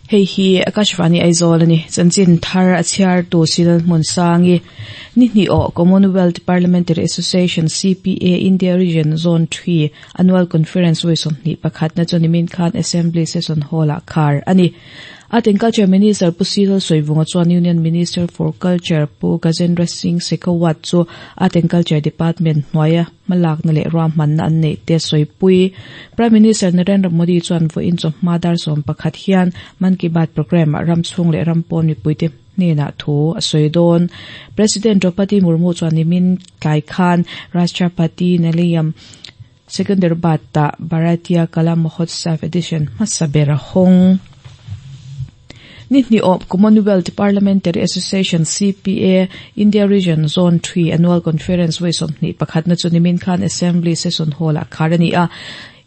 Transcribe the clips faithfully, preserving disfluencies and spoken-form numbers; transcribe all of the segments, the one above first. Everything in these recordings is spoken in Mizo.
Hei hi Akashvani Aizawl ani chanchin thar a chhiar tu Sinal hmun sangi ni hni aw Commonwealth Parliamentary Association C P A India Region Zone three Annual Conference voi sawmhnih pakhat na chu nimin khan Assembly Session Hall ah khar ani. Art and Culture Minister Pu C Lalsawivunga chuan Union Minister for Culture Pu Gajendra Singh Shekhawat chu Art and Culture Department hnuaia hmalakna leh ruahmanna an neih te sawipui. Prime Minister Narendra Modi chuan vawiin chawhma dar sawm pakhat hian Mann Ki Baat program ah ram chhung leh ram pawn mipuite hnenah thu a sawi dawn. President Draupadi Murmu chuan nimin tlai khan Rashtrapati Nilayam Secunderabad ah Bharatiya Kala Mahotsav edition hmasa ber a hawng. Ni hni aw Commonwealth Parliamentary Association C P A India Region Zone three Annual Conference voi sawmhnih pakhat na chu nimin khan Assembly Session Hall ah khar ani a.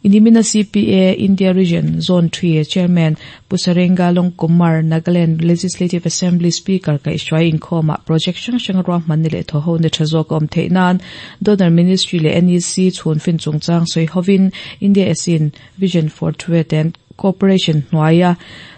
Inimina C P A India Region Zone three Chairman Pu Sarenga Longkumer, Nagaland Legislative Assembly Speaker kai hruai inkhawmah project hrang hrang ruahman ni leh thaw ho ni tha zawk a awm theih nan Donor Ministry leh N E C chhun fin chungchang sawi hovin India ASEAN Vision for Trade and Cooperation hnuaia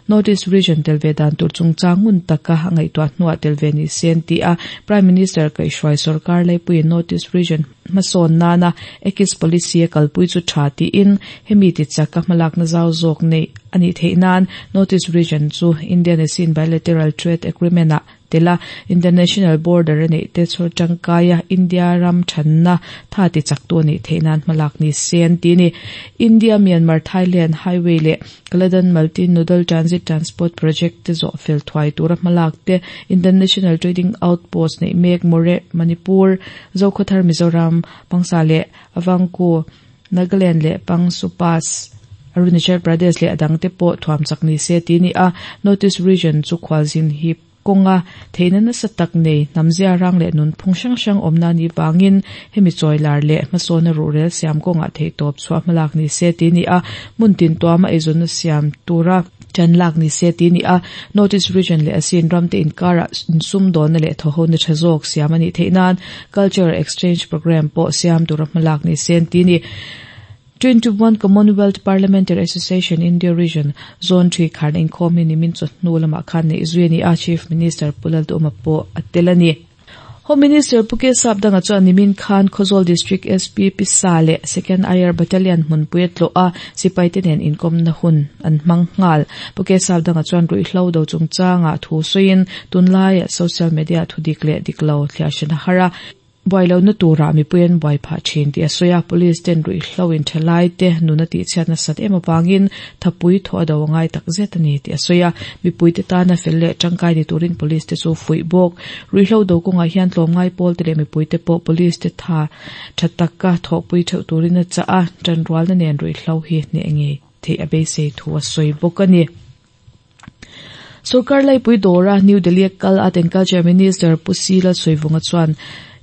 Northeast Region telve dan tur chungchang ngun taka a ngaihtuah hnuah telve ni sen ti a. Prime Minister kai hruai sarkar laipuiin Northeast Region hmasawn nana Act East Policy a kalpui chu tha tiin hemi ti chaka hmalakna zau zawk nei ani theih nan Northeast Region chu Indian ASEAN Bilateral Trade Agreement ah tela international border ani te chur tangkaya India ram thanna tha ti chaktu ani theinan hmalak ni sen ti ni. India Myanmar Thailand Highway le Kaladan Multi Nodal Transit Transport Project te zo fel thuai tura hmalak te, International Trading Outpost nei mek Moreh Manipur, Zokhawthar Mizoram, Pangsa le Avangku Nagaland le Pangsu Pass Arunachal Pradesh le adang te pawh thuam chak ni se ti ni a. Northeast Region chu khwalzin hi kawnga theihna nasa tak nei hnamzia rang leh nunphung hrang hrang awmna ni wangin hemi chawilar leh hmasawna ruhrel siam kawngah theihtawp chhuah hmalak ni se ti ni a. Hmun tin tuama eizawnna siam tura ṭan lak ni se ti ni a. Northeast Region leh ASEAN ram te inkarah insum dawnna leh thawhona tha zawk siam ani theih nan Cultural Exchange Program pawh siam tura hmalak ni se ti ni. twenty-one Commonwealth Parliamentary Association India Region Zone three kharna inkhawm hi nimin chawhnu lamah khan nei zui ani a. Chief Minister Pu Lalduhoma pawh a tel ani. Home Minister Pu K Sapdanga chuan nimin khan Khawzawl District S P Pisa leh Second I R Battalion hmunpui a tlawh a, sipai te nen inkawmna hun an hmang nghal. Pu K Sapdanga chuan ruihhlo do chungchanga thu sawiin tunlaiah social media thudik leh diklo thliah hran a har a, buai na tura mipuiin buai phah thin tih a sawi a. Police ten ruihhlo in thalai te nuna tih chhiat nasat em awangin thapui thaw a do angai tak zet ani tih a sawi a. Mipui te tana fel leh tangkai ni turin police te chu fuih bawk. Ruihhlo do kawngah hian tlawmngai pawl te leh mipui te pawh police te tha tha taka thawhpui theuh turin a chah a, tanrualna nen ruihhlo hi hneh ngei theih a beisei thu a sawi bawk ani. Sarkar laipui dawra New Delhi kal Art and Culture Minister Pu C Lalsawivunga chuan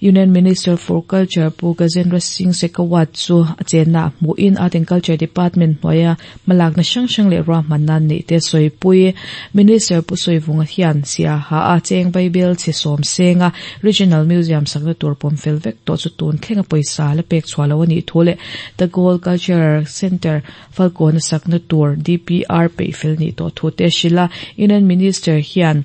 Union Minister for Culture Pu Gajendra Singh Shekhawat chu a chenna hmuin Art and Culture Department hnuaia hmalakna hrang hrang leh ruahmanna neih te sawipui. Minister Pu Sawivunga hian Siaha a cheng Vaibel chhe sawm senga Regional Museum sakna tur pawm fel vek tawh chu tun thlenga pawisa la pek chhuah lo ani thu leh Tagore Culture Center Falkawn sakna tur D P R peih fel ni tawh thu te hrila. Union Minister hian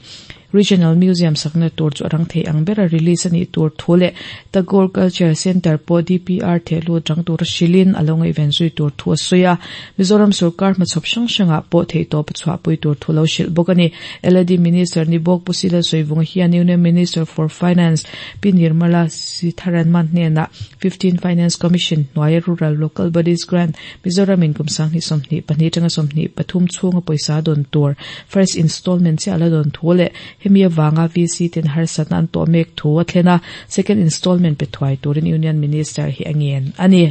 Regional Museum sakna tur chu arang thei ang bera release ani tur thu leh Tagore Culture Center pawh D P R thehlu tang tur hrilin alo ngaihven zui tur thu a sawi a. Mizoram sarkar hmachhawp hrang hrangah pawh theihtawp a chhuahpui tur thu lo hrilh bawk ani. L A D Minister ni bawk Pu C Lalsawivunga hian Union Minister for Finance Pi Nirmala Sitharaman hnenah fifteen Finance Commission hnuaia Rural Local Bodies Grant Mizoram in kum sanghnih sawmhnih pahnih tanga sawmhnih pathum chhunga pawisa dawn tur first installment chiah la dawn thu leh hemi awanga V C ten harsatna an tawh mek thu a thlen a, second installment pe thuai turin Union Minister hi a ngen ani.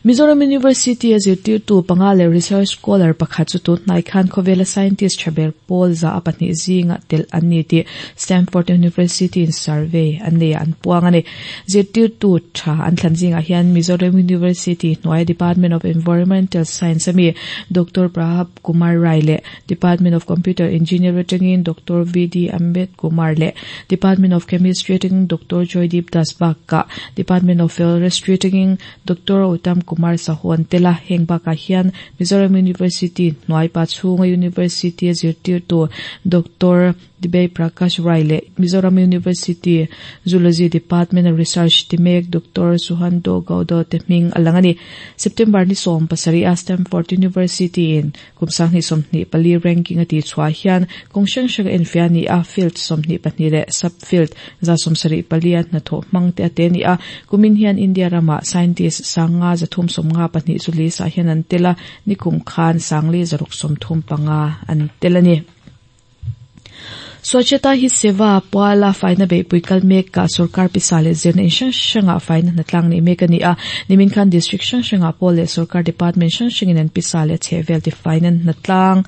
Mizoram University a zirtirtu panga leh research scholar pakhat chu tunhnai khan khawvela scientist thaber pawl za a pahnih zinga tel an ni tih Stanford University in survey an nei an puang ani. Zirtirtu tha an thlan zingah hian Mizoram University hnuai Department of Environmental Science ami Doctor Prabhat Kumar Rai leh Department of Computer Engineering atangin Doctor V D Ambed Kumar leh Department of Chemistry atangin Doctor Joydeep Das bakah Department of Forestry atangin Doctor Gautam Kumar Sahu an tel a, heng bakah hian Mizoram University hnuai Pachhunga University a zirtirtu Doctor Dibay Prakash Rai leh Mizoram University Zoology Department a research ti mek Doctor Suhando Gaudo te hming a lang a ni. September ni sawm pasarih a Stanford University in kum sanghnih sawmhnih pali ranking a tih chhuah hian kawng hrang hrang a enfiah a ni a, field sawmhnih pahnih leh subfield za sawmsarih pali a hnathawh hmang te a te a ni a. Kumin hian India ramah scientist sanga zathum sawmnga pahnih chu list ah hian an tel a, nikum khan sangli zaruk sawmthum panga an tel a ni. Swachhata Hi Seva puala faina beihpui kal mek kah sorkar pisa leh zirna in hrang hrangah faina hnatlang nei mek a ni a. Nimin khan district hrang hrangah pawh leh sorkar department hrang hrangin an pisa leh chhehvel ti faina hnatlang.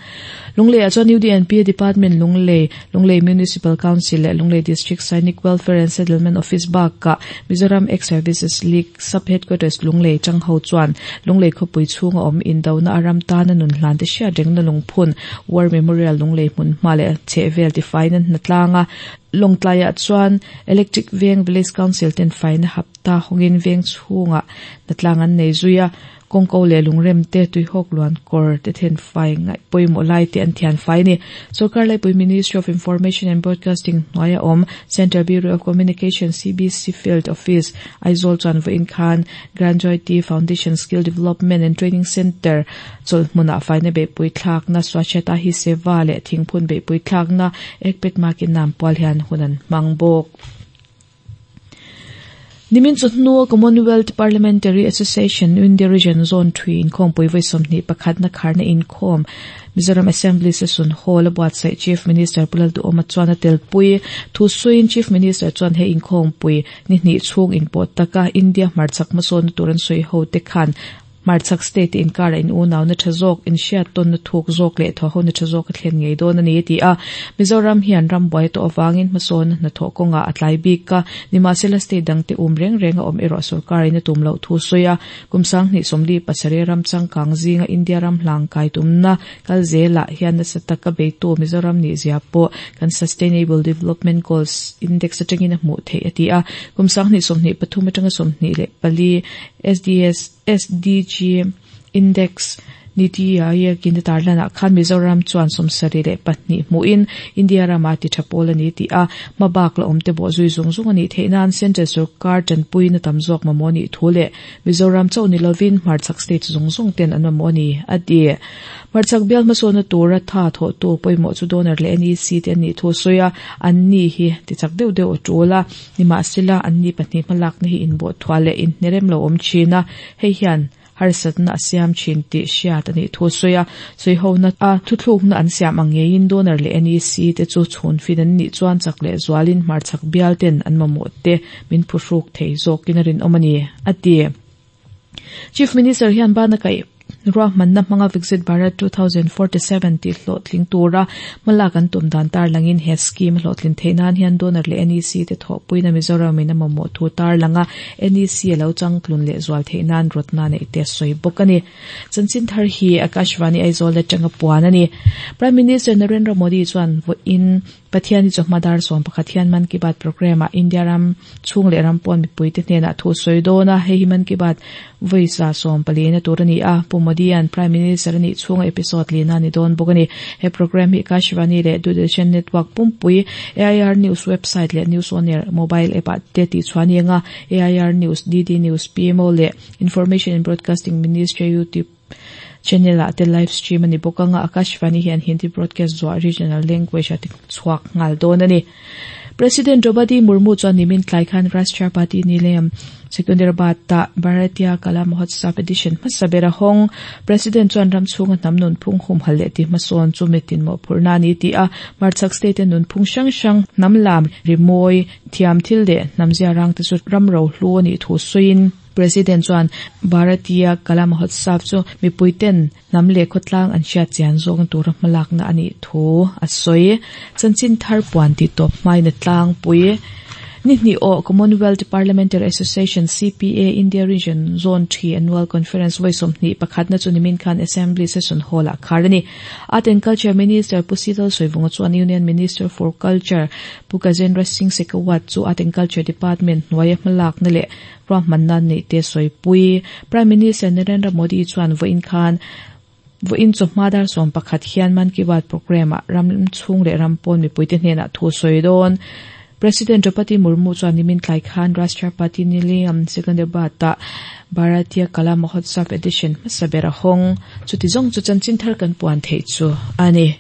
Lunglei ah chuan U D N P Department Lunglei, Lunglei Municipal Council leh Lunglei District Sainik Welfare and Settlement Office bakah Mizoram Ex-Services League Sub-Headquarters Lunglei chang ho chuan Lunglei khawpui chhunga awm indona a ram tana nun hlan te hriat rengna lungphun War Memorial Lunglei hmun hma leh chhehvel ti faina hnatlanga Lawngtlaiah chuan Electric Veng Village Council ten faina hapta hawngin veng chhungah hnatlang an nei zui a, kawngko leh lungrem te tuihawk luan kawr te then fai ngaih pawimawh lai te an thian fai a ni. Sorkar Laipui Ministry of Information and Broadcasting hnuaia awm Central Bureau of Communication C B C Field Office Aizawl chuan vawiin khan Grandjoy Foundation Skill Development and Training Centre chawlhmunah faina beihpui thlakna Swachhata Hi Seva leh thingphun beihpui thlakna Ekpet Makin Nam pual hian hun an hmang bawk. Nimin chawhnu Commonwealth Parliamentary Association India Region Zone three inkhawmpui vawi sawmhnih pakhatna kharna inkhawm Mizoram Assembly Session Hall a buatsaih Chief Minister Pu Lalduhoma chuan a telpui. Thusawiin Chief Minister chuan he inkhawmpui ni hnih chhung inpawh taka India hmarchhak hmasawnna tur an sawi ho te khan hmarchhak state inkara in unauna tha zawk in hriat tawnna thuk zawk leh thawhona tha zawk a thlen ngei dawn a ni ti a. Mizoram hian ram buai tawh awangin hmasawn hnathawh kawnga a tlai bik a, nimahsela state dangte um reng reng a awm erawh sorkarin a tum loh thu sawi a. Kum sanghnih sawmli pasarih ram changkang zinga India ram hlang kai tumna kal zelah hian nasa taka beitu Mizoram ni zia pawh kan Sustainable Development Goals Index atangin a hmuh theih a ti a. Kum sanghnih sawmhnih pathum atanga sawmhnih leh pali S D S S D G Index Niti Aayog in tarlana khan Mizoram chuan sawmsarih leh pahnih hmuhin India rama ti tha pawl a ni ti a, hmabak la awm te bawh zui zung zung a nih theih nan Central Sarkar tanpui na tam zawk mamawh nih thu leh Mizoram chauh ni lovin hmarchhak state zung zung ten an mamawh a ni a ti. Hmarchhak bial hmasawnna tura tha thawhtu pawimawh chu donor leh N E C te an nih thu sawi a, an ni hi tichak deuh deuh a tul a, nimahsela an ni pahnih hmalakna hi inbawh thuah leh inhnerem lo awm thin a, hei hian harsatna a siam thin tih hriat a nih thu sawi a. Sawihona a thuthlukna an siam ang ngeiin donor leh N E C te chu chhun fin an nih chuan chak leh zualin hmarchhak bial ten an mamawh te min phuhruk thei zawkin a rinawm a ni a ti. Chief Minister hian bana kaih ruahmanna hmanga Viksit Bharat two thousand forty-seven tih hlawhtling tura hmalak an tum dan tar langin he scheme hlawhtlin theih nan hian donor leh N E C te thawhpuina Mizoram in a mamawh thu tar langa N E C a lo changtlun leh zual theih nan rawtna neih te sawi bawk a ni. Chanchin thar hi Akashvani Aizawl atanga puan a ni. Prime Minister Narendra Modi chuan vawiin Pathian hi chawhma dar sawm pakhat hian Mann Ki Baat program ah India ram chhung leh ram pawn mipui te hnenah thu sawi dawn a, hei hi Mann Ki Baat vawi sa sawm pali na tur a ni a. Pu Modi an Prime Minister a nih chhunga episode lina ni dawn bawk a ni. He program hi Akashvani leh Doordarshan Network pumpui A I R News website leh News On Air mobile app ah te tih chuan ni anga A I R News, D D News, P M O leh Information and Broadcasting Ministry YouTube channel ah te live stream a ni bawk anga Akashvani hian Hindi broadcast zuah regional language a ti chhuak ngal dawn a ni. President Draupadi Murmu chuan nimin tlai khan Rashtrapati Nilayam Secunderabad ta Bharatiya Kala Mahotsav edition hmasabera hawng President chuan ram chhunga hnam nun phung hum hal leh ti hmasawn chu mitin mawh phurna ni ti a, hmarchhak state nun phung hrang hrang hnam lam rimawi thiam thil leh hnam zia rang te chu ram ro hlu a nih thu sawiin President chuan Bharatiya Kala Mahotsav chu mipui ten hnam leh khawtlang an hriat chian zawng tura hmalakna a nih thu a sawi. Chanchin thar puan ti tawp hmaina tlangpui. Ni hnih awh Commonwealth Parliamentary Association CPA India Region Zone three Annual Conference vawi sawmhnih pakhatna chu nimin khan Assembly Session Hall-ah khar a ni. Art and Culture Minister Pu C L Sawivunga chuan Union Minister for Culture Pu Gajendra Singh Shekhawat chu Art and Culture Department hnuaia hmalakna leh ruahmanna neihte sawipui. Prime Minister Narendra Modi chuan vawiin khan vawiin chawhma dar sawm pakhat hian Mann Ki Baat programme-ah ram chhung leh ram pawn mipuite hnenah thu sawi dawn. President Draupadi Murmu chuan nimin tlai khan Rashtrapati Nilayam Secunderabad-ah Bharatiya Kala Mahotsav edition hmasa ber a hawng. Chuti zawng chu chanchin thar kan puan theih chu a ni.